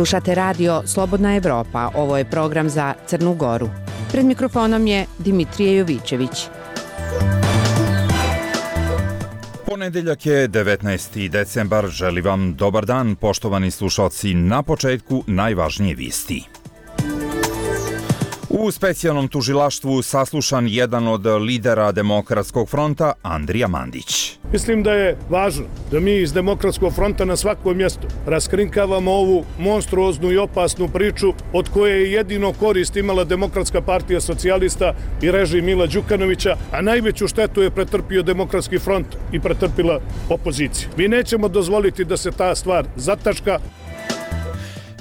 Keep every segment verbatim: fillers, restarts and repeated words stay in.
Slušate radio Slobodna Evropa, ovo je program za Crnu Goru. Pred mikrofonom je Dimitrije Jovićević. Ponedeljak je devetnaesti decembar, želi vam dobar dan, poštovani slušalci, na početku najvažnije vijesti. U specijalnom tužilaštvu saslušan jedan od lidera Demokratskog fronta, Andrija Mandić. Mislim da je važno da mi iz Demokratskog fronta na svakom mjestu raskrinkavamo ovu monstruoznu i opasnu priču od koje je jedino korist imala Demokratska partija socijalista i režim Mila Đukanovića, a najveću štetu je pretrpio Demokratski front i pretrpila opozicija. Mi nećemo dozvoliti da se ta stvar zataška.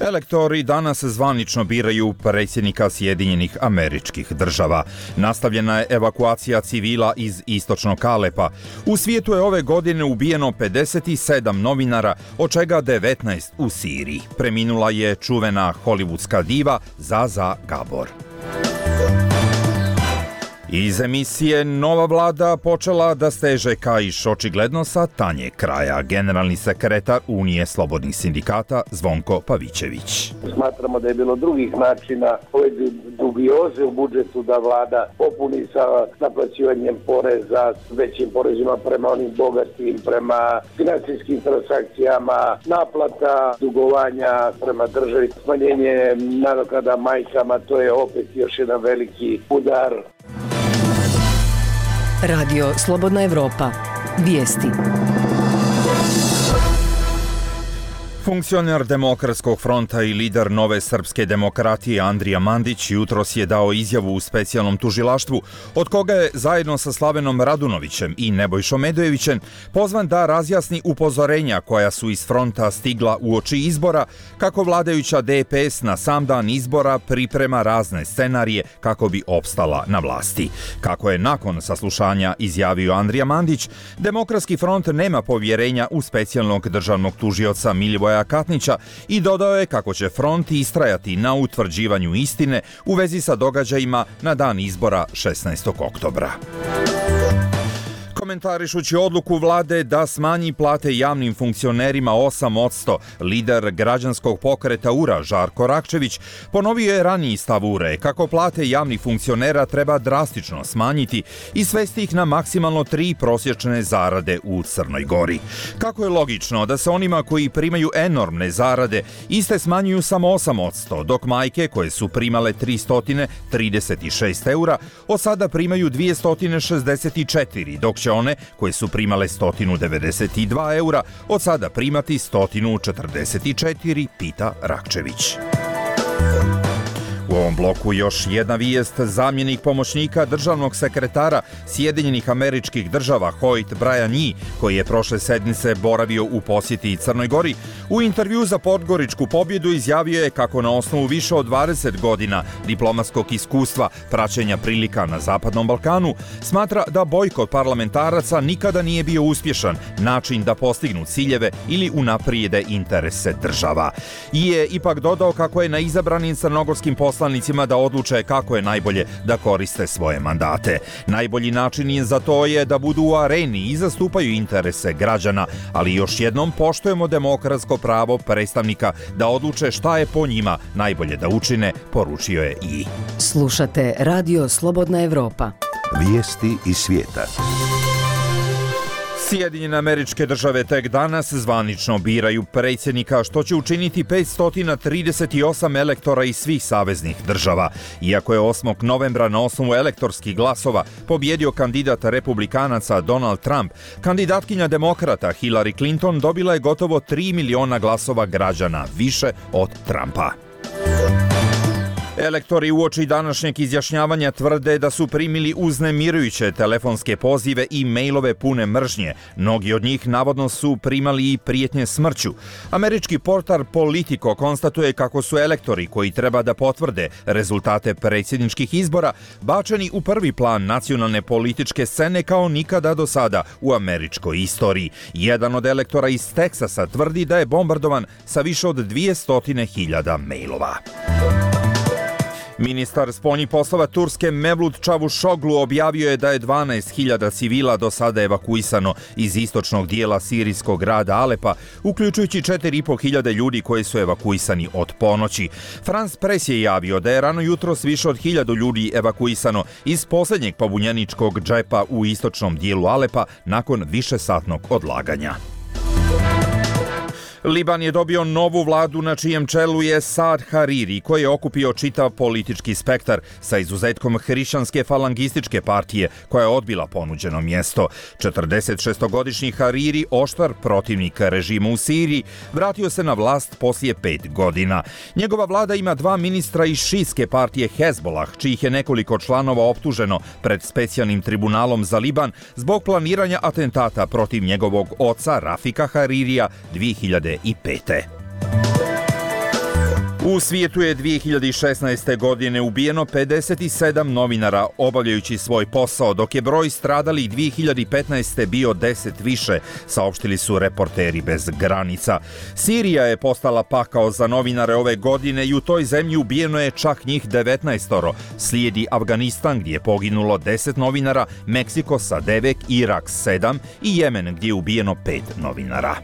Elektori danas zvanično biraju predsjednika Sjedinjenih Američkih Država. Nastavljena je evakuacija civila iz istočnog Alepa. U svijetu je ove godine ubijeno pedeset sedam novinara, od čega devetnaest u Siriji. Preminula je čuvena hollywoodska diva Zaza Gabor. Iz emisije Nova vlada počela da steže kaiš očigledno sa tanje kraja. Generalni sekretar Unije slobodnih sindikata Zvonko Pavićević. Smatramo da je bilo drugih načina ove dubioze u budžetu da vlada popuni sa naplaćivanjem poreza, većim porezima prema onim bogatim, prema financijskim transakcijama, naplata dugovanja prema državi, smanjenje nadoknada majkama, to je opet još jedan veliki udar. Radio Slobodna Evropa. Vijesti. Funkcioner Demokratskog fronta i lider Nove srpske demokratije Andrija Mandić jutros je dao izjavu u specijalnom tužilaštvu, od koga je zajedno sa Slavenom Radunovićem i Nebojšom Medojevićem pozvan da razjasni upozorenja koja su iz fronta stigla uoči izbora, kako vladajuća D P S na sam dan izbora priprema razne scenarije kako bi opstala na vlasti. Kako je nakon saslušanja izjavio Andrija Mandić, Demokratski front nema povjerenja u specijalnog državnog tužioca Milivoja Katnića i dodao je kako će front istrajati na utvrđivanju istine u vezi sa događajima na dan izbora šesnaestog oktobra. Komentarišući odluku vlade da smanji plate javnim funkcionerima osam posto, lider građanskog pokreta U R A Žarko Rakčević ponovio je raniji stav U R A kako plate javnih funkcionera treba drastično smanjiti i svesti ih na maksimalno tri prosječne zarade u Crnoj Gori. Kako je logično da se onima koji primaju enormne zarade iste smanjuju samo osam posto, dok majke koje su primale tristo trideset šest eura od sada primaju dvjesto šezdeset četiri, dok će one koje su primale sto devedeset dva eura od sada primati sto četrdeset četiri, pita Rakčević. U ovom bloku još jedna vijest. Zamjenik pomoćnika državnog sekretara Sjedinjenih Američkih Država Hoyt Brian Yee, koji je prošle sedmice boravio u posjeti Crnoj Gori, u intervju za Podgoričku pobjedu izjavio je kako na osnovu više od dvadeset godina diplomatskog iskustva praćenja prilika na Zapadnom Balkanu smatra da bojkot parlamentaraca nikada nije bio uspješan način da postignu ciljeve ili unaprijede interese država. I je ipak dodao kako je na izabranim crnogorskim poslanicima da odluče kako je najbolje da koriste svoje mandate. Najbolji način za to je da budu u areni i zastupaju interese građana, ali još jednom poštujemo demokratsko pravo predstavnika da odluče šta je po njima najbolje da učine, poručio je i. Slušate Radio Slobodna Evropa. Vijesti iz svijeta. Sjedinjene Američke Države tek danas zvanično biraju predsjednika, što će učiniti petsto trideset osam elektora iz svih saveznih država. Iako je osmog novembra na osnovu elektorskih glasova pobjedio kandidat republikanaca Donald Trump, kandidatkinja demokrata Hillary Clinton dobila je gotovo tri miliona glasova građana, više od Trumpa. Elektori uoči današnjeg izjašnjavanja tvrde da su primili uznemirujuće telefonske pozive i mailove pune mržnje. Mnogi od njih navodno su primali i prijetnje smrću. Američki portal Politico konstatuje kako su elektori koji treba da potvrde rezultate predsjedničkih izbora bačeni u prvi plan nacionalne političke scene kao nikada do sada u američkoj istoriji. Jedan od elektora iz Teksasa tvrdi da je bombardovan sa više od dvjesto hiljada mailova. Ministar spoljnih poslova Turske Mevlut Čavuşoglu objavio je da je dvanaest hiljada civila do sada evakuisano iz istočnog dijela sirijskog grada Alepa, uključujući četiri i po hiljade ljudi koji su evakuisani od ponoći. France Press je javio da je rano jutros više od hiljadu ljudi evakuisano iz posljednjeg pobunjeničkog džepa u istočnom dijelu Alepa nakon višesatnog odlaganja. Liban je dobio novu vladu na čijem čelu je Saad Hariri, koji je okupio čitav politički spektar sa izuzetkom hrišćanske falangističke partije, koja je odbila ponuđeno mjesto. četrdesetšestogodišnji Hariri, oštar protivnik režima u Siriji, vratio se na vlast poslije pet godina. Njegova vlada ima dva ministra iz šijske partije Hezbolah, čijih je nekoliko članova optuženo pred specijalnim tribunalom za Liban zbog planiranja atentata protiv njegovog oca Rafika Haririja dvije hiljade pete. U svijetu je dvije hiljade šesnaeste. godine ubijeno pedeset sedam novinara obavljajući svoj posao, dok je broj stradalih dvije hiljade petnaeste. bio deset više, saopštili su Reporteri bez granica. Sirija je postala pakao za novinare ove godine i u toj zemlji ubijeno je čak njih devetnaestoro. Slijedi Afganistan gdje je poginulo deset novinara, Meksiko sa devet, Irak sedam i Jemen gdje je ubijeno pet novinara.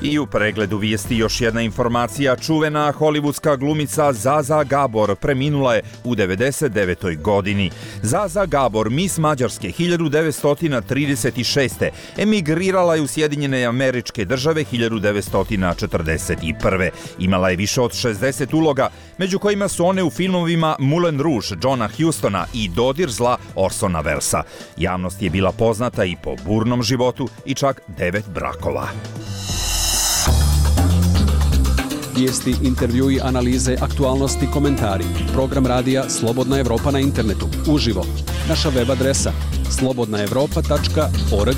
I u pregledu vijesti još jedna informacija. Čuvena hollywoodska glumica Zaza Gabor preminula je u devedeset devetoj. godini. Zaza Gabor, mis Mađarske hiljadu devetsto trideset šeste. emigrirala je u Sjedinjene Američke Države hiljadu devetsto četrdeset prve. Imala je više od šezdeset uloga, među kojima su one u filmovima Moulin Rouge Johna Hustona i Dodir zla Orsona Wellesa. Javnost je bila poznata i po burnom životu i čak devet brakova. Vijesti, intervjui, analize, aktualnosti, komentari. Program radija Slobodna Evropa na internetu. Uživo. Naša web adresa slobodna evropa tačka org.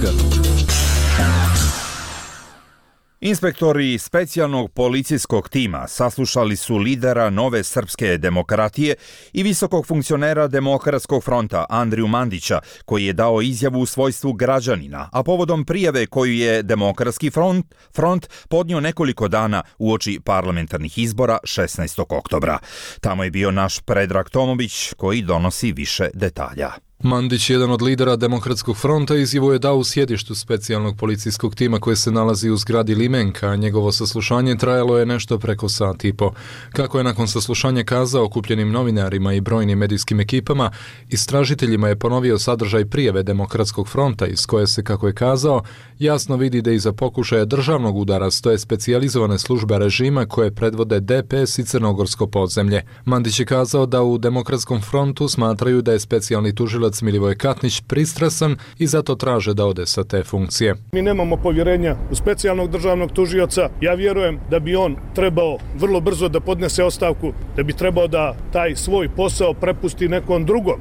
Inspektori specijalnog policijskog tima saslušali su lidera Nove srpske demokratije i visokog funkcionera Demokratskog fronta Andriju Mandića, koji je dao izjavu u svojstvu građanina, a povodom prijave koju je Demokratski front, front podnio nekoliko dana uoči parlamentarnih izbora šesnaestog oktobra. Tamo je bio naš Predrag Tomović koji donosi više detalja. Mandić, jedan od lidera Demokratskog fronta, izjavu je dao u sjedištu specijalnog policijskog tima koje se nalazi u zgradi Limenka, a njegovo saslušanje trajalo je nešto preko sat i po. Kako je nakon saslušanja kazao okupljenim novinarima i brojnim medijskim ekipama, istražiteljima je ponovio sadržaj prijave Demokratskog fronta iz koje se, kako je kazao, jasno vidi da iza pokušaja državnog udara stoje specijalizovane službe režima koje predvode D P S i Crnogorsko podzemlje. Mandić je kazao da u Demokratskom frontu smatraju da je specijalni tužilac Milivoje Katnić pristrasan i zato traže da ode sa te funkcije. Mi nemamo povjerenja u specijalnog državnog tužioca. Ja vjerujem da bi on trebao vrlo brzo da podnese ostavku, da bi trebao da taj svoj posao prepusti nekom drugom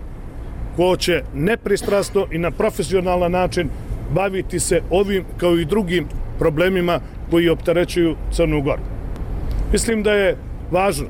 ko će nepristrasno i na profesionalan način baviti se ovim kao i drugim problemima koji opterećuju Crnu Goru. Mislim da je važno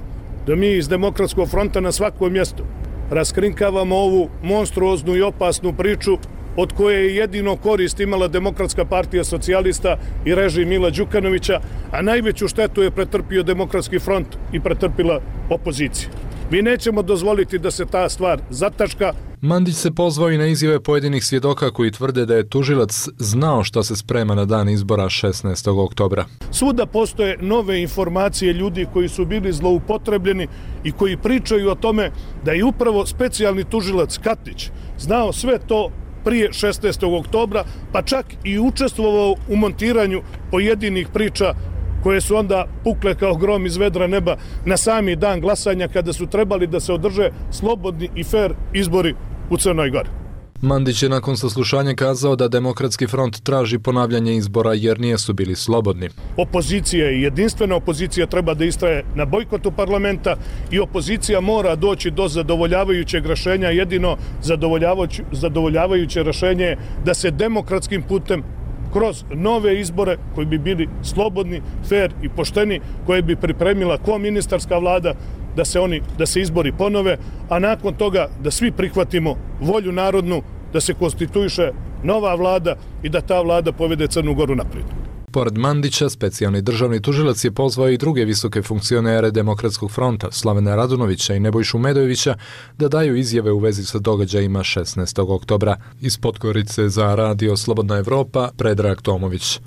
da mi iz Demokratskog fronta na svakom mjestu raskrinkavamo ovu monstruoznu i opasnu priču od koje je jedino korist imala Demokratska partija socijalista i režim Mila Đukanovića, a najveću štetu je pretrpio Demokratski front i pretrpila opozicija. Mi nećemo dozvoliti da se ta stvar zataška. Mandić se pozvao i na izjave pojedinih svjedoka koji tvrde da je tužilac znao šta se sprema na dan izbora šesnaestog oktobra. Svuda postoje nove informacije ljudi koji su bili zloupotrebljeni i koji pričaju o tome da je upravo specijalni tužilac Katnić znao sve to prije šesnaestog oktobra, pa čak i učestvovao u montiranju pojedinih priča koje su onda pukle kao grom iz vedra neba na sami dan glasanja kada su trebali da se održe slobodni i fer izbori u Crnoj Gori. Mandić je nakon saslušanja kazao da Demokratski front traži ponavljanje izbora jer nijesu bili slobodni. Opozicija i jedinstvena opozicija treba da istraje na bojkotu parlamenta i opozicija mora doći do zadovoljavajućeg rješenja. Jedino zadovoljavajuće, zadovoljavajuće rješenje je da se demokratskim putem kroz nove izbore koji bi bili slobodni, fer i pošteni, koje bi pripremila koministarska vlada, da se oni, da se izbori ponove, a nakon toga da svi prihvatimo volju narodnu, da se konstituiše nova vlada i da ta vlada povede Crnu Goru naprijed. Pored Mandića, specijalni državni tužilac je pozvao i druge visoke funkcionere Demokratskog fronta, Slavena Radunovića i Nebojšu Medojevića, da daju izjave u vezi sa događajima šesnaestog oktobra. Iz Podgorice za Radio Slobodna Evropa, Predrag Tomović.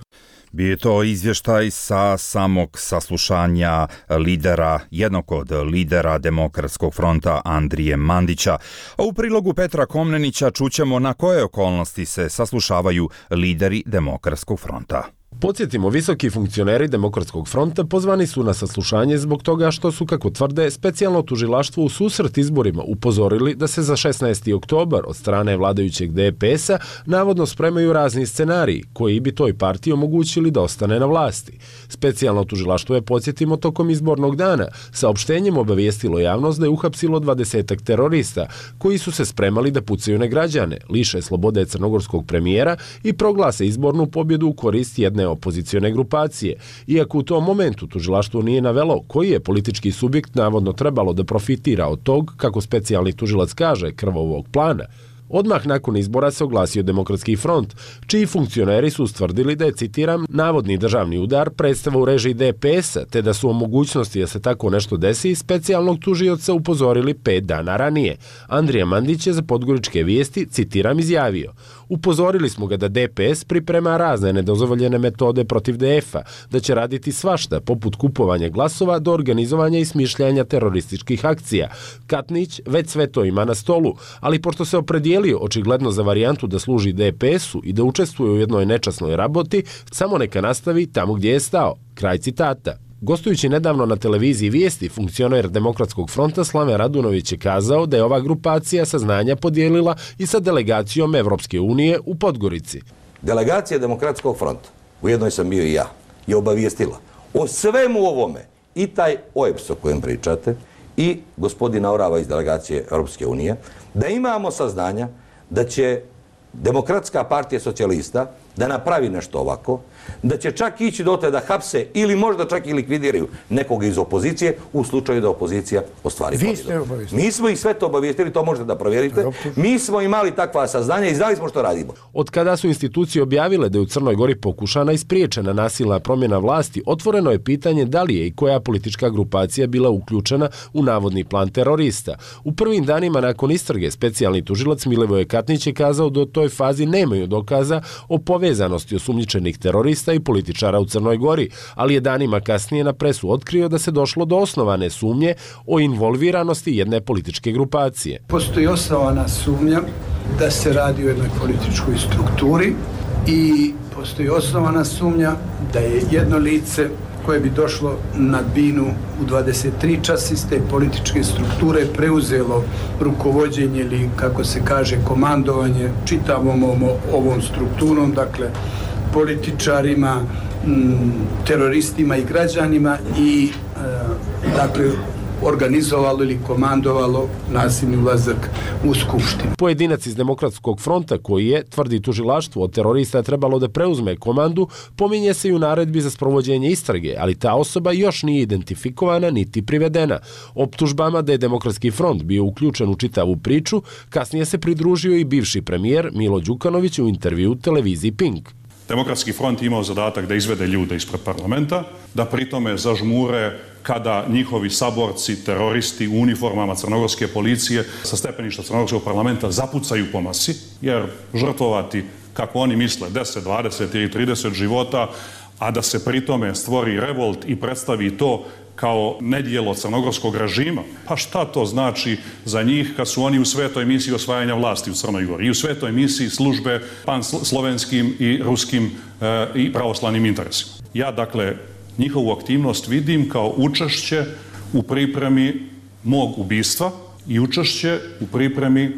Bio je to izvještaj sa samog saslušanja lidera, jednog od lidera Demokratskog fronta Andrije Mandića. A u prilogu Petra Komnenića čućemo na koje okolnosti se saslušavaju lideri Demokratskog fronta. Podsjetimo, visoki funkcioneri Demokratskog fronta pozvani su na saslušanje zbog toga što su, kako tvrde, specijalno tužilaštvo u susret izborima upozorili da se za šesnaesti oktobar od strane vladajućeg D P S-a navodno spremaju razni scenariji koji bi toj partiji omogućili da ostane na vlasti. Specijalno tužilaštvo je, podsjetimo, tokom izbornog dana saopštenjem obavijestilo javnost da je uhapsilo dvadesetak terorista koji su se spremali da pucaju na građane, liše slobode crnogorskog premijera i proglase izbornu pobjedu u korist jedne opozicione grupacije, iako u tom momentu tužilaštvo nije navelo koji je politički subjekt navodno trebalo da profitira od tog, kako specijalni tužilac kaže, krvavog plana. Odmah nakon izbora se oglasio Demokratski front, čiji funkcioneri su ustvrdili da je, citiram, navodni državni udar predstava u režiji D P S-a, te da su o mogućnosti da se tako nešto desi specijalnog tužioca upozorili pet dana ranije. Andrija Mandić je za Podgoričke vijesti, citiram, izjavio: upozorili smo ga da D P S priprema razne nedozvoljene metode protiv D F-a, da će raditi svašta, poput kupovanja glasova do organizovanja i smišljanja terorističkih akcija. Katnić već sve to ima na stolu, ali pošto se opredijelio očigledno za varijantu da služi D P S-u i da učestvuje u jednoj nečasnoj raboti, samo neka nastavi tamo gdje je stao. Kraj citata. Gostujući nedavno na televiziji Vijesti, funkcioner Demokratskog fronta Slaven Radunović je kazao da je ova grupacija saznanja podijelila i sa delegacijom Evropske unije u Podgorici. Delegacija Demokratskog fronta, u jednoj sam bio i ja, je obavijestila o svemu ovome i taj O E B S o kojem pričate i gospodina Orava iz delegacije Europske unije, da imamo saznanja da će Demokratska partija socijalista da napravi nešto ovako, da će čak ići dotle da hapse ili možda čak i likvidiraju nekoga iz opozicije u slučaju da opozicija ostvari pobjedu. Mi smo ih sve to obavijestili, to možete da provjerite. Mi smo imali takva saznanja i znali smo što radimo. Od kada su institucije objavile da je u Crnoj Gori pokušana i spriječena nasilna promjena vlasti, otvoreno je pitanje da li je i koja politička grupacija bila uključena u navodni plan terorista. U prvim danima nakon istrage specijalni tužilac Milivoje Katnić je kazao da u toj fazi nemaju dokaza o povezanosti osumnjičenih terorista i političara u Crnoj Gori, ali je danima kasnije na presu otkrio da se došlo do osnovane sumnje o involviranosti jedne političke grupacije. Postoji osnovana sumnja da se radi o jednoj političkoj strukturi i postoji osnovana sumnja da je jedno lice koje bi došlo na binu u dvadeset tri časa iz te političke strukture preuzelo rukovođenje ili, kako se kaže, komandovanje čitavom ovom strukturom, dakle političarima, teroristima i građanima i dakle organizovalo ili komandovalo nasilni ulazak u skupštinu. Pojedinac iz Demokratskog fronta koji je, tvrdi tužilaštvo, od terorista trebalo da preuzme komandu, pominje se i u naredbi za sprovođenje istrage, ali ta osoba još nije identifikovana niti privedena. Optužbama da je Demokratski front bio uključen u čitavu priču, kasnije se pridružio i bivši premijer Milo Đukanović u intervju televiziji Pink. Demokratski front imao zadatak da izvede ljude ispred parlamenta, da pritome zažmure kada njihovi saborci, teroristi u uniformama crnogorske policije sa stepeništa crnogorskog parlamenta zapucaju po masi, jer žrtvovati, kako oni misle, deset, dvadeset ili trideset života, a da se pritome stvori revolt i predstavi to kao nedjelo crnogorskog režima, pa šta to znači za njih kad su oni u svetoj misiji osvajanja vlasti u Crnoj Gori i u svetoj misiji službe panslovenskim i ruskim e, i pravoslavnim interesima. Ja, dakle, njihovu aktivnost vidim kao učešće u pripremi mog ubistva i učešće u pripremi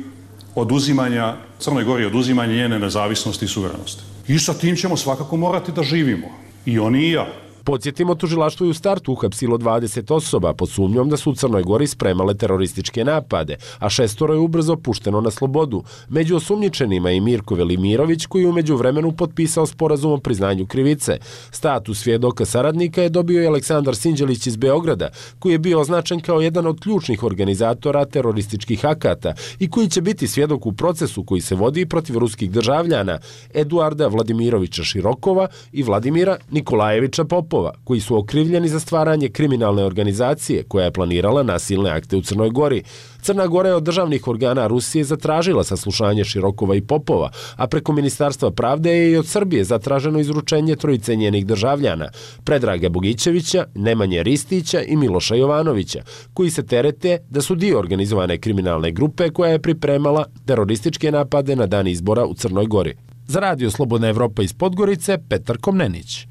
oduzimanja Crnoj Gori, oduzimanja njene nezavisnosti i suverenosti. I sa tim ćemo svakako morati da živimo. I oni i ja. Podsjetimo, tužilaštvo je u startu uhapsilo dvadeset osoba pod sumnjom da su u Crnoj Gori spremale terorističke napade, a šestoro je ubrzo pušteno na slobodu. Među osumnjičenima je i Mirko Velimirović, koji je u međuvremenu potpisao sporazum o priznanju krivice. Status svjedoka saradnika je dobio i Aleksandar Sinđelić iz Beograda, koji je bio označen kao jedan od ključnih organizatora terorističkih akata i koji će biti svjedok u procesu koji se vodi protiv ruskih državljana Eduarda Vladimirovića Širokova i Vladimira Nikolajevića Popova, koji su okrivljeni za stvaranje kriminalne organizacije koja je planirala nasilne akte u Crnoj Gori. Crna Gora je od državnih organa Rusije zatražila saslušanje Širokova i Popova, a preko Ministarstva pravde je i od Srbije zatraženo izručenje trojice njenih državljana, Predraga Bogićevića, Nemanje Ristića i Miloša Jovanovića, koji se terete da su dio organizovane kriminalne grupe koja je pripremala terorističke napade na dan izbora u Crnoj Gori. Za Radio Slobodna Evropa iz Podgorice, Petar Komnenić.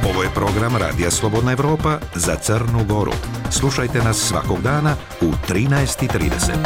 Ovo je program Radija Slobodna Evropa za Crnu Goru. Slušajte nas svakog dana u trinaest i trideset.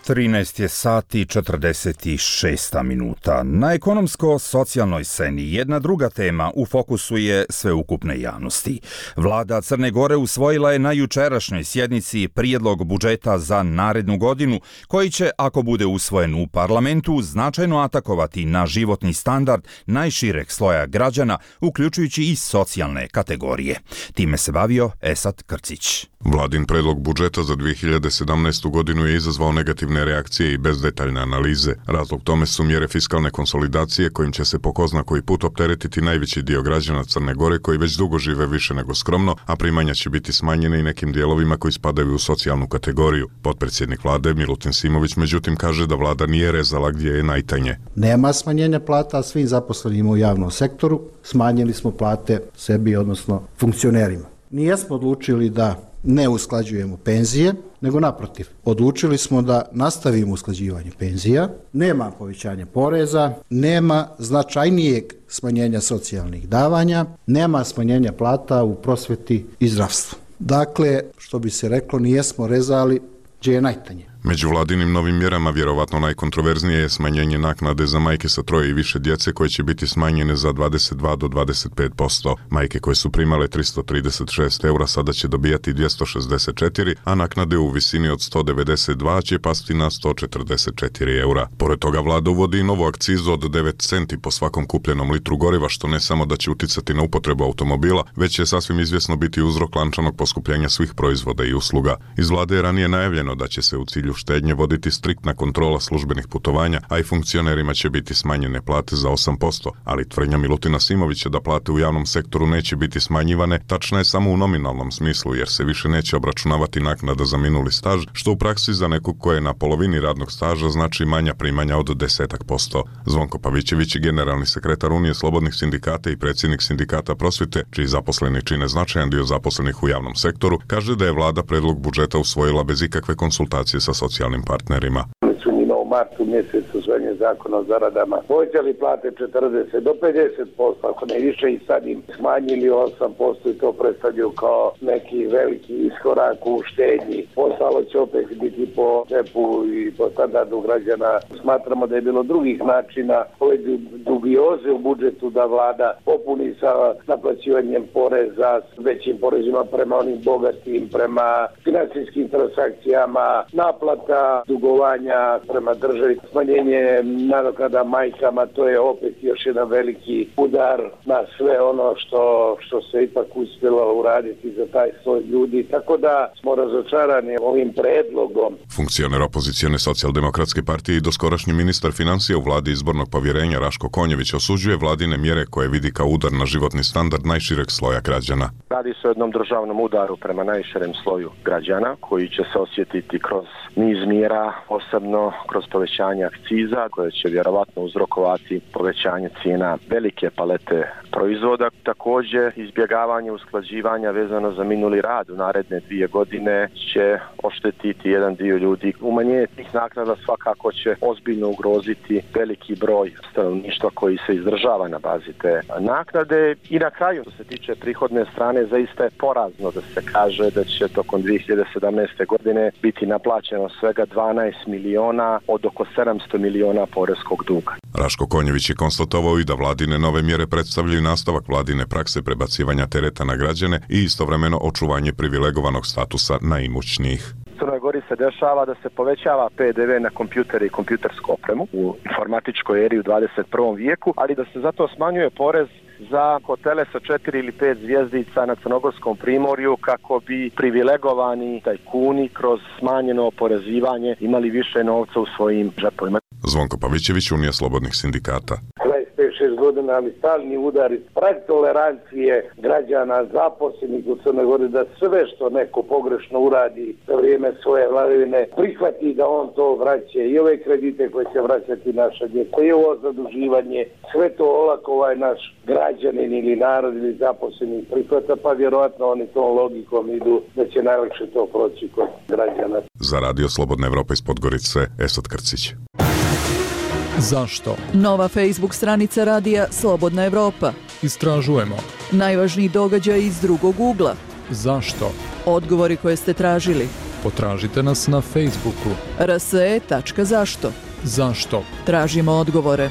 trinaest je sati četrdeset šest minuta. Na ekonomsko-socijalnoj sceni jedna druga tema u fokusu je sveukupne javnosti. Vlada Crne Gore usvojila je na jučerašnjoj sjednici prijedlog budžeta za narednu godinu, koji će, ako bude usvojen u parlamentu, značajno atakovati na životni standard najšireg sloja građana, uključujući i socijalne kategorije. Time se bavio Esat Krcić. Vladin predlog budžeta za dvije hiljade sedamnaestu. godinu je izazvao negativne reakcije i bez detaljne analize. Razlog tome su mjere fiskalne konsolidacije kojim će se po ko zna koji put opteretiti najveći dio građana Crne Gore koji već dugo žive više nego skromno, a primanja će biti smanjene i nekim dijelovima koji spadaju u socijalnu kategoriju. Potpredsjednik vlade Milutin Simović međutim kaže da vlada nije rezala gdje je najtanje. Nema smanjenja plata svim zaposlenima u javnom sektoru, smanjili smo plate sebi, odnosno funkcionerima. Nijesmo odlučili da ne usklađujemo penzije, nego naprotiv. Odlučili smo da nastavimo usklađivanje penzija, nema povećanja poreza, nema značajnijeg smanjenja socijalnih davanja, nema smanjenja plata u prosveti i zdravstvu. Dakle, što bi se reklo, nijesmo rezali gdje je najtanje. Među vladinim novim mjerama vjerovatno najkontroverznije je smanjenje naknade za majke sa troje i više djece koje će biti smanjene za dvadeset dva do dvadeset pet posto. Majke koje su primale tristo trideset šest eura sada će dobijati dvjesto šezdeset četiri, a naknade u visini od sto devedeset dva će pasti na sto četrdeset četiri eura. Pored toga vlada uvodi i novu akcizu od devet centi po svakom kupljenom litru goriva, što ne samo da će uticati na upotrebu automobila, već će sasvim izvjesno biti uzrok lančanog poskupljenja svih proizvoda i usluga. Iz vlade je ranije najavljeno da će se u cilju štednje voditi striktna kontrola službenih putovanja, a i funkcionerima će biti smanjene plate za osam posto, ali tvrdnja Milutina Simovića da plate u javnom sektoru neće biti smanjivane tačna je samo u nominalnom smislu, jer se više neće obračunavati naknada za minuli staž, što u praksi za nekog ko je na polovini radnog staža znači manja primanja od desetak posto. Zvonko Pavićević, generalni sekretar Unije slobodnih sindikata i predsjednik sindikata prosvjete, čiji zaposleni čine značajan dio zaposlenih u javnom sektoru, kaže da je vlada predlog budžeta usvojila bez ikakve konsultacije sa socijalnim partnerima. U martu mjesecu usvajanje zakona o zaradama povećali plate četrdeset do pedeset posto, ako ne više, i sad im smanjili osam posto i to predstavljaju kao neki veliki iskorak u štednji. Ostalo će opet biti po džepu i po standardu građana. Smatramo da je bilo drugih načina ove dubioze u budžetu da vlada popuni sa naplaćivanjem poreza, s većim porezima prema onim bogatim, prema financijskim transakcijama, naplata dugovanja prema državi, smanjenje nadoknada majkama, to je opet još jedan veliki udar na sve ono što, što se ipak uspjelo uraditi za taj sloj ljudi, tako da smo razočarani ovim predlogom. Funkcioner opozicijone socijaldemokratske partije i doskorašnji ministar financija u vladi izbornog povjerenja Raško Konjević osuđuje vladine mjere koje vidi kao udar na životni standard najšireg sloja građana. Radi se o jednom državnom udaru prema najširem sloju građana koji će se osjetiti kroz niz mjera, posebno kroz povećanje akciza koje će vjerovatno uzrokovati povećanje cijena velike palete proizvoda. Također izbjegavanje usklađivanja vezano za minuli rad u naredne dvije godine će oštetiti jedan dio ljudi. Umanjenje tih naknada svakako će ozbiljno ugroziti veliki broj stanovništva koji se izdržava na bazi te naknade. I na kraju, što se tiče prihodne strane, zaista je porazno da se kaže da će tokom dvije hiljade sedamnaeste. godine biti naplaćeno svega dvanaest miliona od oko sedamsto miliona poreskog duga. Raško Konjević je konstatovao i da vladine nove mjere predstavljaju nastavak vladine prakse prebacivanja tereta na građane i istovremeno očuvanje privilegovanog statusa najimućnijih. U Crnoj Gori se dešava da se povećava P D V na kompjutere i kompjutersku opremu u informatičkoj eri u dvadeset prvom vijeku, ali da se zato smanjuje porez za hotele sa četiri ili pet zvjezdica na Crnogorskom primorju kako bi privilegovani tajkuni kroz smanjeno oporezivanje imali više novca u svojim džepovima. Zvonko Pavićević, Unija slobodnih sindikata. dvadeset pet šest godina, ali stalni udari, prag tolerancije građana, zaposlenih u Crnoj Gori, da sve što neko pogrešno uradi za vrijeme svoje vladavine prihvati da on to vraća, i ove kredite koje će vraćati naša djeca, i ovo zaduživanje, sve to olako ovaj naš građanin ili narod ili zaposleni prihvata, pa vjerojatno oni tom logikom idu da će najlakše to proći kod građana. Za Radio Slobodna Evropa iz Podgorice, Esad Krcić. Zašto? Nova Facebook stranica radija Slobodna Evropa. Istražujemo. Najvažniji događaj iz drugog ugla. Zašto? Odgovori koje ste tražili. Potražite nas na Facebooku. r s e tačka zašto. Zašto? Tražimo odgovore.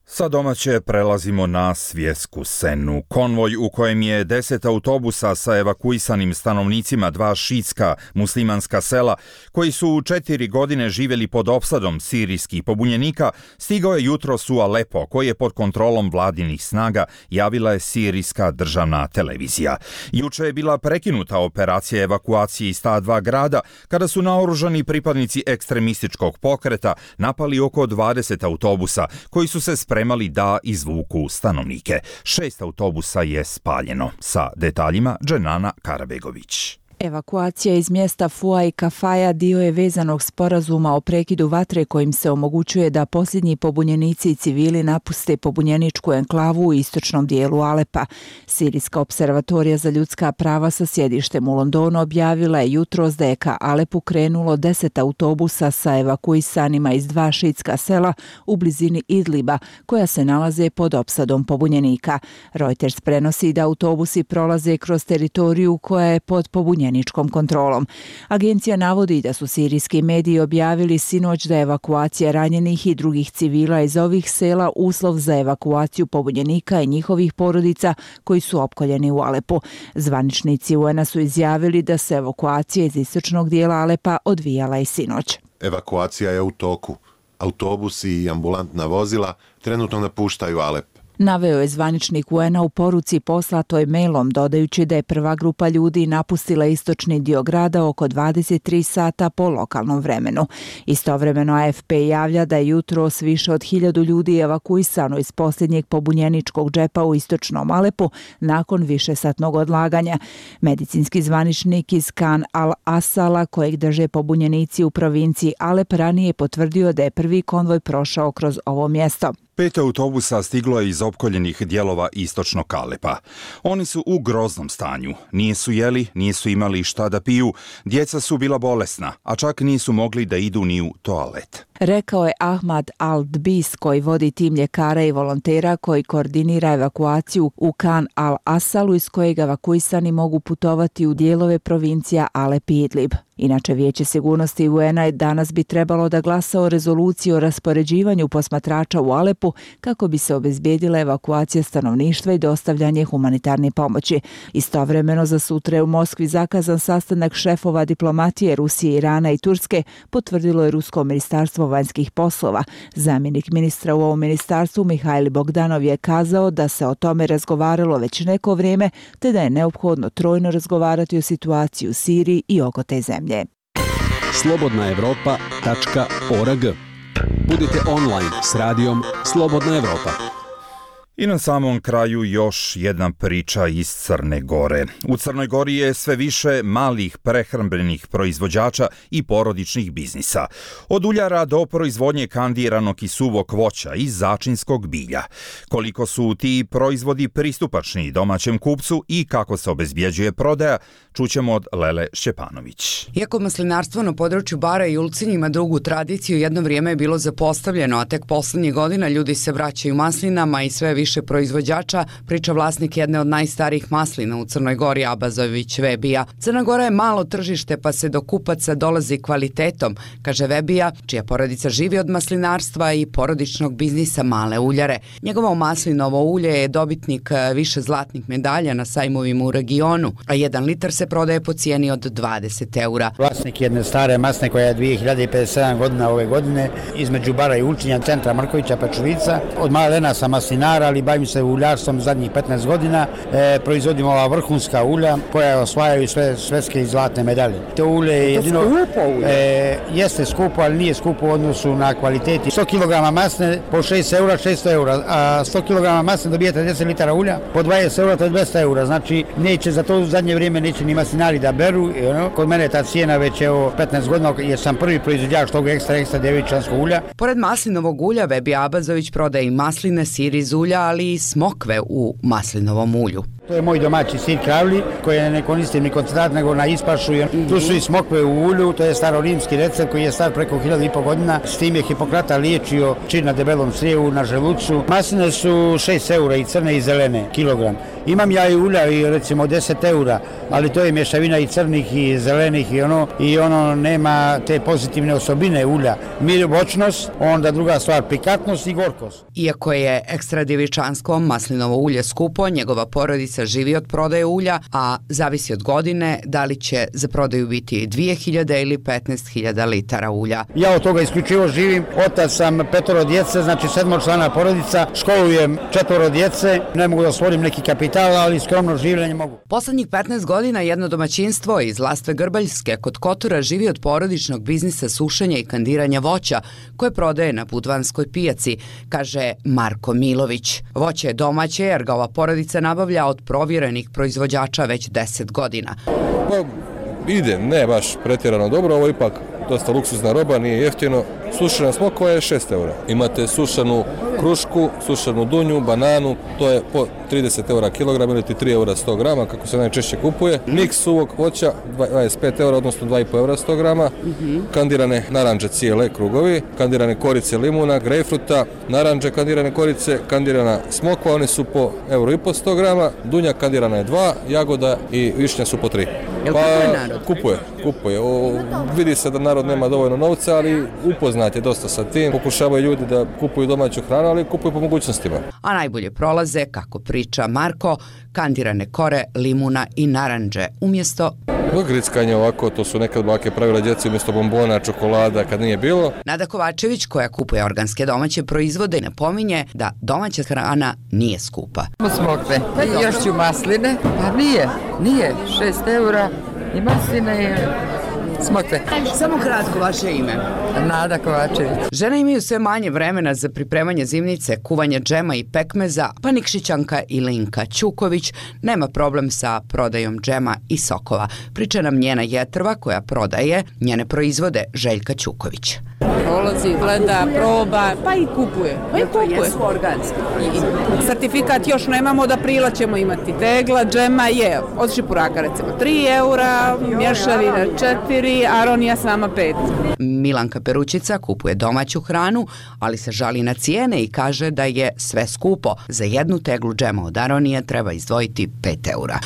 Sa domaće prelazimo na svjetsku scenu. Konvoj u kojem je deset autobusa sa evakuisanim stanovnicima dva šiitska muslimanska sela, koji su u četiri godine živjeli pod opsadom sirijskih pobunjenika, stigao je jutros u Alepo, koji je pod kontrolom vladinih snaga, javila je sirijska državna televizija. Juče je bila prekinuta operacija evakuacije iz ta dva grada, kada su naoružani pripadnici ekstremističkog pokreta napali oko dvadeset autobusa, koji su se spremali da izvuku stanovnike. Šest autobusa je spaljeno. Sa detaljima Dženana Karabegović. Evakuacija iz mjesta Fua i Kafaja dio je vezanog sporazuma o prekidu vatre kojim se omogućuje da posljednji pobunjenici i civili napuste pobunjeničku enklavu u istočnom dijelu Alepa. Sirijska observatorija za ljudska prava sa sjedištem u Londonu objavila je jutros da je ka Alepu krenulo deset autobusa sa evakuisanima iz dva šiitska sela u blizini Idliba, koja se nalaze pod opsadom pobunjenika. Reuters prenosi da autobusi prolaze kroz teritoriju koja je pod pobunjenikom kontrolom. Agencija navodi da su sirijski mediji objavili sinoć da je evakuacija ranjenih i drugih civila iz ovih sela uslov za evakuaciju pobunjenika i njihovih porodica koji su opkoljeni u Alepu. Zvaničnici U N-a su izjavili da se evakuacija iz istočnog dijela Alepa odvijala i sinoć. Evakuacija je u toku. Autobusi i ambulantna vozila trenutno napuštaju Alep. Naveo je zvaničnik U N-a u poruci poslatoj mailom, dodajući da je prva grupa ljudi napustila istočni dio grada oko dvadeset tri sata po lokalnom vremenu. Istovremeno A F P javlja da je jutros više od hiljadu ljudi evakuisano iz posljednjeg pobunjeničkog džepa u istočnom Alepu nakon višesatnog odlaganja. Medicinski zvaničnik iz Khan al-Asala, kojeg drže pobunjenici u provinciji Alep, ranije potvrdio da je prvi konvoj prošao kroz ovo mjesto. Pet autobusa stiglo je iz opkoljenih dijelova istočnog Alepa. Oni su u groznom stanju. Nisu jeli, nisu imali šta da piju, djeca su bila bolesna, a čak nisu mogli da idu ni u toalet. Rekao je Ahmad Al-Dbis, koji vodi tim ljekara i volontera koji koordinira evakuaciju u Khan al-Asalu, iz kojeg evakuisani mogu putovati u dijelove provincija Alep i Idlib. Inače, Vijeće sigurnosti U N-a danas bi trebalo da glasa o rezoluciji o raspoređivanju posmatrača u Alepu kako bi se obezbijedila evakuacija stanovništva i dostavljanje humanitarne pomoći. Istovremeno za sutra je u Moskvi zakazan sastanak šefova diplomatije Rusije, Irana i Turske, potvrdilo je Rusko ministarstvo vanjskih poslova. Zamjenik ministra u ovom ministarstvu Mihajl Bogdanov je kazao da se o tome razgovaralo već neko vrijeme, te da je neophodno trojno razgovarati o situaciji u Siriji i oko te zemlje. slobodna evropa tačka org. Budite online s radijom Slobodna Evropa. I na samom kraju još jedna priča iz Crne Gore. U Crnoj Gori je sve više malih prehrambenih proizvođača i porodičnih biznisa. Od uljara do proizvodnje kandiranog i suvog voća i začinskog bilja. Koliko su ti proizvodi pristupačni domaćem kupcu i kako se obezbjeđuje prodaja, čućemo od Lele Šćepanović. Iako maslinarstvo na području Bara i Ulcinj ima dugu tradiciju, jedno vrijeme je bilo zapostavljeno, a tek poslednjih godina ljudi se vraćaju maslinama i sve više proizvođača, priča vlasnik jedne od najstarijih maslina u Crnoj Gori, Abazović Vebija. Crna Gora je malo tržište, pa se do kupaca dolazi kvalitetom, kaže Vebija, čija porodica živi od maslinarstva i porodičnog biznisa Male uljare. Njegovo maslinovo ulje je dobitnik više zlatnih medalja na sajmovima u regionu, a jedan litar se prodaje po cijeni od dvadeset eura. Vlasnik jedne stare masne koja je dvije hiljade pedeset sedam godina ove godine, između Bara i Ulcinja, centra Markovića Pečulica. Od malena sam maslinara, ali bavim se uljarstvom zadnjih petnaest godina. E, proizvodimo ova vrhunska ulja koja osvajaju sve svetske i zlatne medalje. To ulje je jedino... E, jeste skupo, ali nije skupo u odnosu na kvaliteti. sto kilograma masne po šest eura, šesto eura, a sto kilograma masne dobijete deset litara ulja, po dvadeset eura, to je dvesta eura. Znači, neće za to u zadnje vrijeme neće ni maslinari da beru. I ono, kod mene ta cijena već je o petnaest godina, jer sam prvi proizvođač tog ekstra, ekstra djevičanskog ulja. Pored maslinovog ulja, Vebi Abazović prodaje i masline, sir iz ulja, ali i smokve u maslinovom ulju. To je moj domaći sir kravli, koji ne koristim ni koncentrat, nego na ispašu. Tu su i smokve u ulju, to je starorimski recept koji je star preko hiljadu i po godina. S tim je Hipokrata liječio čir na debelom crijevu, na želucu. Masline su šest eura i crne i zelene kilogram. Imam ja i ulja i recimo deset eura, ali to je mješavina i crnih i zelenih i ono, i ono nema te pozitivne osobine ulja. Mir, voćnost, onda druga stvar, pikantnost i gorkost. Iako je ekstra djevičansko maslinovo ulje skupo, njegova porodica živi od prodaje ulja, a zavisi od godine da li će za prodaju biti dvije hiljade ili petnaest hiljada litara ulja. Ja od toga isključivo živim, otac sam petoro djece, znači sedmočlana porodica, školujem četvoro djece, ne mogu da stvorim neki kapital, ali skromno življenje mogu. Poslednjih petnaest godina jedno domaćinstvo iz Lastve Grbaljske kod Kotora živi od porodičnog biznisa sušenja i kandiranja voća koje prodaje na Budvanskoj pijaci, kaže Marko Milović. Voće je domaće jer ga ova porodica nabavlja od provjerenih proizvođača već deset godina. Pa, ide, ne baš pretjerano dobro, ovo ipak dosta luksuzna roba, nije jeftino. Sušena smokva je šest eura. Imate sušenu krušku, sušenu dunju, bananu, to je po trideset eura kilogram ili ti tri eura sto grama, kako se najčešće kupuje. Miks suvog voća, dvadeset pet eura, odnosno dva i po eura sto grama. Kandirane naranđe cijele, krugovi, kandirane korice limuna, grejpfruta, naranđe kandirane korice, kandirana smokva, one su po euro i po sto grama, dunja kandirana je dva, jagoda i višnja su po tri. Jel kupuje narod? Kupuje, kupuje. O, vidi se da narod nema dovoljno novca, ali upoznat je dosta sa tim. Pokušavaju ljudi da kupuju domaću hranu, ali kupuju po mogućnostima. A najbolje prolaze, kako priča Marko, kandirane kore, limuna i naranđe, umjesto... Grickanje ovako, to su nekad bake pravila djeci umjesto bombona, čokolada, kad nije bilo. Nada Kovačević, koja kupuje organske domaće proizvode, napominje da domaća hrana nije skupa. Smokve, i još ću masline, pa nije, nije, šest eura i masline i smokve. Samo kratko vaše ime. Nada Kovačević. Žene imaju sve manje vremena za pripremanje zimnice, kuvanje džema i pekmeza, pa Nikšićanka Ilinka Ćuković nema problem sa prodajom džema i sokova. Priča nam njena jetrva koja prodaje njene proizvode Željka Ćuković. Prolazi, gleda, proba, pa i kupuje. Pa i kupuje. Jesu organski. Certifikat još nemamo, od aprila ćemo imati. Tegla, džema je od šipuraka recimo tri eura, mješavina četiri, aronija sama pet. Milanka Perućica kupuje domaću hranu, ali se žali na cijene i kaže da je sve skupo. Za jednu teglu džema od aronije treba izdvojiti pet eura.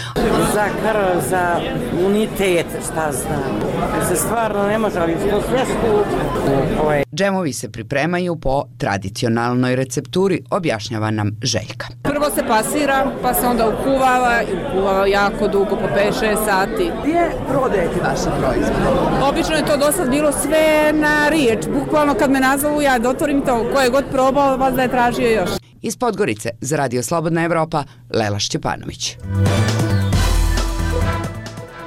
Za krv, za unitet, šta znam. Se stvarno ne može, ali to sve skupo. Džemovi se pripremaju po tradicionalnoj recepturi, objašnjava nam Željka. Prvo se pasira, pa se onda ukuvava i ukuvava jako dugo, po pet šest sati. Gdje prodajete vaše proizvode? Obično je to do sad bilo sve na riječ. Bukvalno kad me nazovu, ja otvorim to, ko je god probao, vas da je tražio još. Iz Podgorice za Radio Slobodna Evropa, Lela Šćepanović.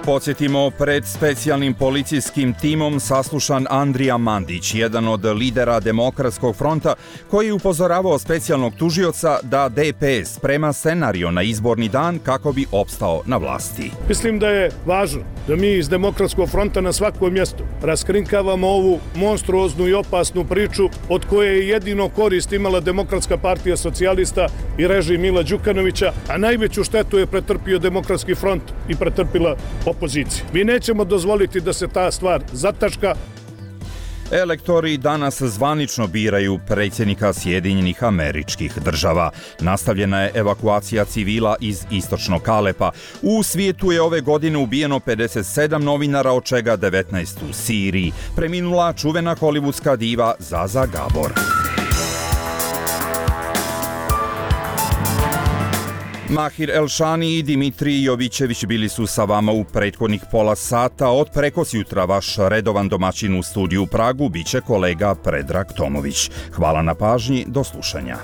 Podsjetimo, pred specijalnim policijskim timom saslušan Andrija Mandić, jedan od lidera Demokratskog fronta, koji je upozoravao specijalnog tužioca da D P S sprema scenario na izborni dan kako bi opstao na vlasti. Mislim da je važno da mi iz Demokratskog fronta na svakom mjestu raskrinkavamo ovu monstruoznu i opasnu priču od koje je jedino korist imala Demokratska partija socijalista i režim Mila Đukanovića, a najveću štetu je pretrpio Demokratski front i pretrpila opozicija. Mi nećemo dozvoliti da se ta stvar zataška. Elektori danas zvanično biraju predsjednika Sjedinjenih Američkih Država. Nastavljena je evakuacija civila iz istočnog Alepa. U svijetu je ove godine ubijeno pedeset sedam novinara, od čega devetnaest u Siriji. Preminula čuvena hollywoodska diva Zaza Gabor. Mahir Elšani i Dimitrij Jovićević bili su sa vama u prethodnih pola sata. Od prekosjutra vaš redovan domaćin u studiju u Pragu biće kolega Predrag Tomović. Hvala na pažnji, do slušanja.